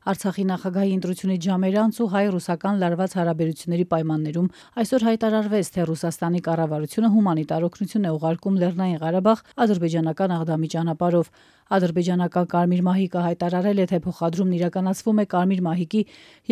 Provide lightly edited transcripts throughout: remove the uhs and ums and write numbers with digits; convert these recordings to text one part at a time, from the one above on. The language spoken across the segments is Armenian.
Արցախի նախագահի ընտրությունից ժամեր անց ու հայ-ռուսական լարված հարաբերությունների պայմաններում այսօր հայտարարվեց, թե Ռուսաստանի կառավարությունը հումանիտար օգնություն է ուղարկում Լեռնային Ղարաբաղ ադրբեջանական աղդամի ճանապարհով։ Ադրբեջանական Կարմիր մահիկը հայտարարել է, թե փոխադրումն իրականացվում է Կարմիր մահիկի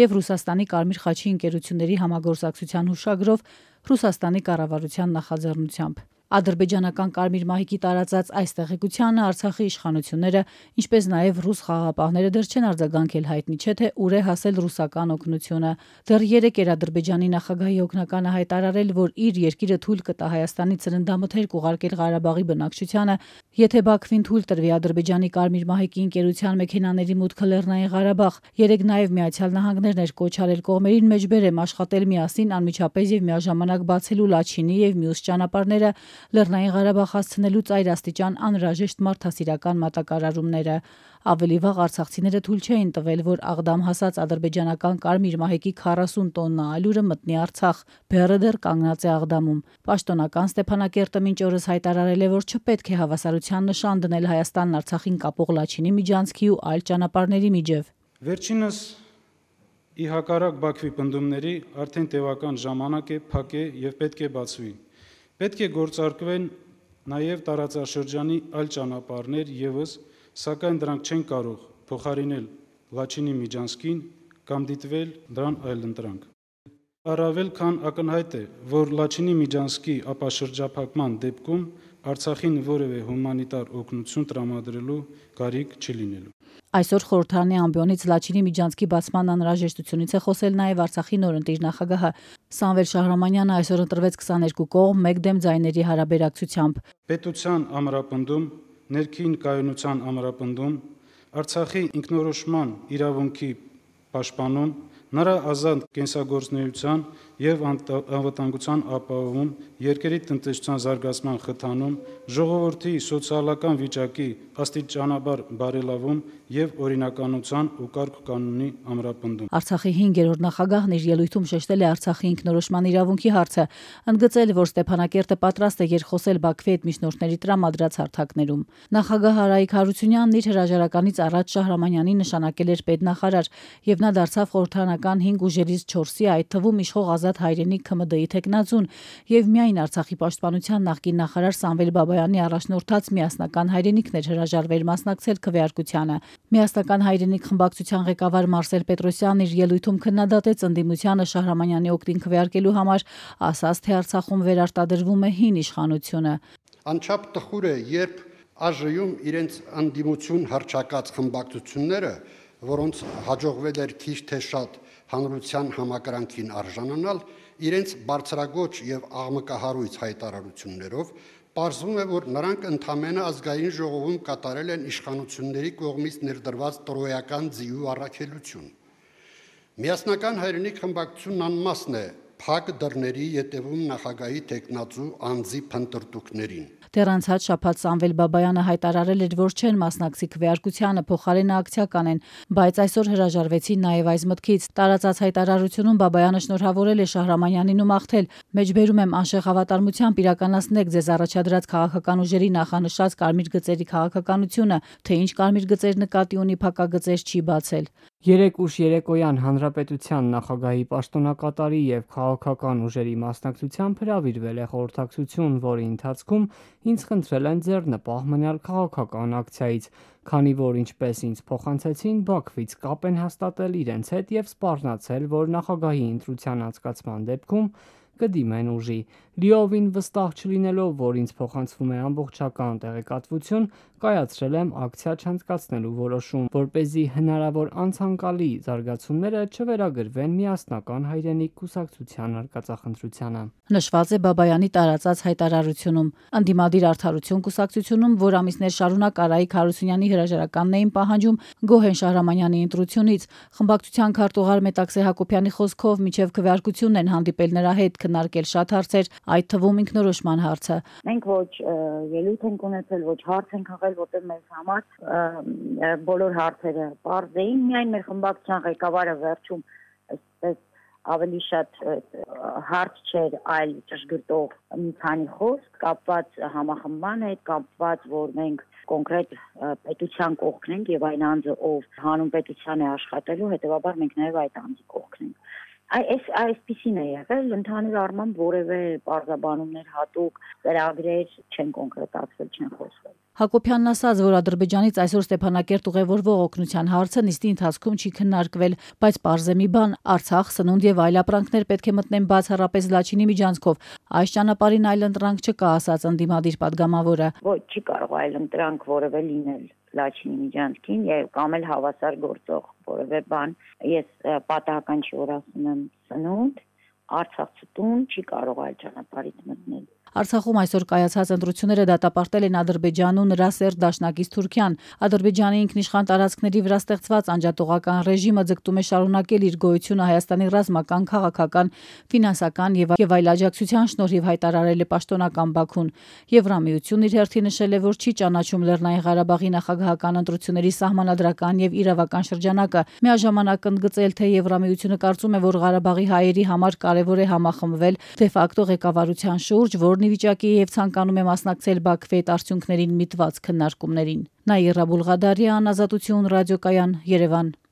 եւ Ռուսաստանի Կարմիր խաչի ընկերությունների համագործակցության հուշագրով Ռուսաստանի կառավարության նախաձեռնությամբ։ Ադրբեջանական Կարմիր մահիկի տարածած այս տեղեկությանը Արցախի իշխանությունները, ինչպես նաև ռուս խաղաղապահները դեռ չեն արձագանքել, հայտնի չէ, թե ուր է հասել ռուսական օգնությունը։ Դեռ 3 էր Ադրբեջանի նախագահի օգնականը հայտարարել, որ իր երկիրը թույլ կտա Հայաստանի ծննդամթերք ուղարկել Ղարաբաղի բնակչությանը, եթե Բաքվին թույլ տրվի Ադրբեջանի Կարմիր մահիկի ընկերության մեքենաների մուտքը Լեռնային Ղարաբաղ։ 3 նաև Միացյալ Նահանգներն էր կոչ արել կողմերին մեջբերեմ աշխատել միասին անմիջապես եւ միաժամանակ բացելու Լաչինի եւ մյուս ճանապարհները Լեռնային Ղարաբաղ հասցնելու ծայրաստիճան անհրաժեշտ մարդասիրական մատակարարումները։ Ավելի վաղ արցախցիները թույլ չէին տվել, որ աղդամ հասած ադրբեջանական Կարմիր մահիկի 40 տոննա ալյուրը մտնի Արցախ։ Բեռը դեռ կանգնած է աղդամում։ Պաշտոնական Ստեփանակերտը մինչ օրս հայտարարել է, որ չպետք է հավասարության նշան դնել Հայաստանն Արցախին կապող Լաչինի միջանցքի ու այլ ճանապարհների միջև։ Վերջինս ի հակառակ Բաքվի պնդումների արդեն տևական ժամանակ է փակ է եւ պետք է բացվի։ Պետք է գործարկվեն նաև տարածաշրջանի այլ ճանապարհներ ևս, սակայն դրանք չեն կարող փոխարինել Լաչինի միջանցքին կամ դիտվել դրան այլընտրանք։ Առավել քան ակնհայտ է, որ Լաչինի միջանցքի ապաշրջափակման դեպքում Արցախին որևէ հումանիտար օգնություն տրամադրելու կարիք չի լինելու։ Այսօր խորհրդարանի ամբիոնից Լաչինի միջանցքի բացման անհրաժեշտությունից է խոսել նաև Արցախի նորընտիր նախագահը։ Սամվել Շահրամանյանը այսօր ընտրվեց 22 կողմ մեկ դեմ ձայների հարաբերակցությամբ։ Պետության ամրապնդում, ներքին կայունության ամրապնդում, Արցախի ինքնորոշման իրավունքի պաշտպանում, նրա ազատ կենսագործունեության եւ անվտանգության ապահովում, երկրի տնտեսության զարգացման խթանում, ժողովրդի սոցիալական վիճակի աստիճանաբար բարելավում եւ օրինականության ու կարգ-կանոնի ամրապնդում։ Արցախի 5-րդ նախագահն իր ելույթում շեշտել է Արցախի ինքնորոշման իրավունքի հարցը, ընդգծել, որ Ստեփանակերտը պատրաստ է երկխոսել Բաքվի հետ միջնորդների տրամադրած հարթակներում։ Նախագահ Արայիկ Հարությունյանն իր հրաժարականից առաջ Շահրամանյանին նշանակել էր պետնախարար եւ նա դարձավ խորհրդարանական 5 ուժերից 4-ի, այդ թվում իշխող Ազատ Հայրենիք ՔՄԴ-ի թեկնածուն եւ միայն Արցախի պաշտպանության նախկին նախարար Սամվել Բաբայանի առաջնորդած միասնական հայրենիքն էր հրաժարվել մասնակցել քվեարկությանը։ Միասնական հայրենիք խմբակցության ղեկավար Մարսել Պետրոսյանն իր ելույթում քննադատեց ընդդիմությանը Շահրամանյանի օգտին քվեարկելու համար, ասաց, թե Արցախում վերարտադրվում է հին իշխանությունը։ Անչափ տխուր է, երբ ԱԺ-ում իրենց ընդդիմություն հռչակած խմբակցությունները, որոնց հաջողվել էր քիչ թե շատ հանրության համակրանքին արժանանալ, իրենց բարձրագոչ եւ աղմկահարույց հայտարարություններով պարզվում է, որ նրանք ընդամենը ազգային ժողովում կատարել են իշխանությունների կողմից ներդրված տրոյական ձիու առաքելություն։ Միասնական հայրենիք խմբակցությունն անմասն է փակ դռների ետևում նախագահի տեխնացու անձի փնտրտուքներին։ Դեռ անցած շաբաթ Սամվել Բաբայանը հայտարարել էր, որ չեն մասնակցի քվեարկությանը, փոխարենը ակցիա կանեն, բայց այսօր հրաժարվեցին նաև այս մտքից։ Տարածած հայտարարությունում Բաբայանը շնորհավորել է Շահրամանյանին ու մաղթել. «Մեջբերում եմ անշեղ հավատարմությամբ իրականացնեք ձեզ առաջադրած քաղաքական ուժերի նախանշած կարմիր գծերի քաղաքականությունը, թե ինչ կարմիր գծեր նկատի ունի փակագծեր չի բացել»։ 3 ուշ երեկոյան Հանրապետության նախագահի պաշտոնակատարի եւ քաղաքական ուժերի մասնակցությամբ հրավիրվել է խորհրդակցություն, որի ընթացքում ինձ խնդրել են ձեռնպահ մնալ քաղաքական ակցիայից, քանի որ ինչպես ինձ փոխանցեցին, Բաքվից կապ են հաստատել իրենց հետ եւ սպառնացել, որ նախագահի ընտրության անցկացման դեպքում կդիմեն ուժի։ Լիովին վստահ չլինելով, որ ինձ փոխանցվում է ամբողջական տեղեկատվություն, կայացրել եմ ակցիա չանցկացնելու որոշում, որպեսզի հնարավոր անցանկալի զարգացումները չվերագրվեն միասնական հայրենիք կուսակցության արկածախնդրությանը։ Նշված է Բաբայանի տարածած հայտարարությունում։ Ընդդիմադիր Արդարություն կուսակցությունում, որ ամիսներ շարունակ Արայիկ Հարությունյանի հրաժարականն էին պահանջում Գոհեն Շահրամանյանի ընտրությունից, խմբակցության քարտուղար Մետաքսե Հակոբյանի խոսքով մինչև քվեարկությունն են հանդիպել նրա հետ, քննարկել շատ հարցեր, այդ թվում ինքնորոշման հարցը։ Մենք ոչ ելույթ ենք ունեցել, ոչ հարց ենք հղել, որտեղ մեզ համար բոլոր հարցերը պարզ էին, միայն մեր խմբակցության ղեկավարը վերջում այսպես ավելի շատ հարց չէր, այլ ճշգրտող մի քանի խոսք կապված համախմբման հետ, կապված, որ մենք կոնկրետ պետության կողքն ենք եւ այն անձը, ով հանուն պետության է աշխատելու, հետեւաբար մենք նաեւ այդ անձի կողքն ենք։ Այսպիսին է եղել, ընդհանուր առմամբ որևէ պարզաբանումներ հատուկ ծրագրեր չեն կոնկրետացվել, չեն խոսվել։ Հակոբյանն ասաց, որ Ադրբեջանից այսօր Ստեփանակերտ ուղևորվող օգնության հարցը նիստի ընթացքում չի քննարկվել, բայց պարզ է մի բան՝ Արցախ, սնունդ եւ այլ ապրանքներ պետք է մտնեն բացառապես Լաչինի միջանցքով։ Այս ճանապարհին այլընտրանք չկա, ասաց ընդդիմադիր падգամավորը։ Ոչ, չի կարող այլընտրանք որևէ լինել Լաչինի միջանցքին եւ կամ էլ հավասար գործող որևէ բան։ Ես պատահական չի որ ասում եմ սնունդ, Արցախցի տուն չի կարող այլ ճանապարհից մտնել։ Արցախում այսօր կայացած ընտրությունները դատապարտել են Ադրբեջանն ու նրա սերտ դաշնակից Թուրքիան։ Ադրբեջանի ինքնիշխան տարածքների վրա ստեղծված անջատողական ռեժիմը ձգտում է շարունակել իր գոյությունը Հայաստանի ռազմական, քաղաքական, ֆինանսական եւ այլ աջակցության շնորհիվ հայտարարել է պաշտոնական Բաքուն։ Եվրամիությունն իր հերթին նշել է, որ չի ճանաչում Լեռնային Ղարաբաղի նախագահական ընտրությունների սահմանադրական եւ իրավական շրջանակը։ Միաժամանակ ընդգծել, թե Եվրամիությունը կարծում է, որ Ղարաբաղի հայերի համար կարևոր է համախմբվել դե ֆակտո ղեկավարության շուրջ, որն վիճակի եւ ցանկանում է մասնակցել Բաքվի այդ արդյունքներին միտված քննարկումներին։ Նաիրա Բուլղադարյան, Ազատություն ռադիոկայան, Երևան։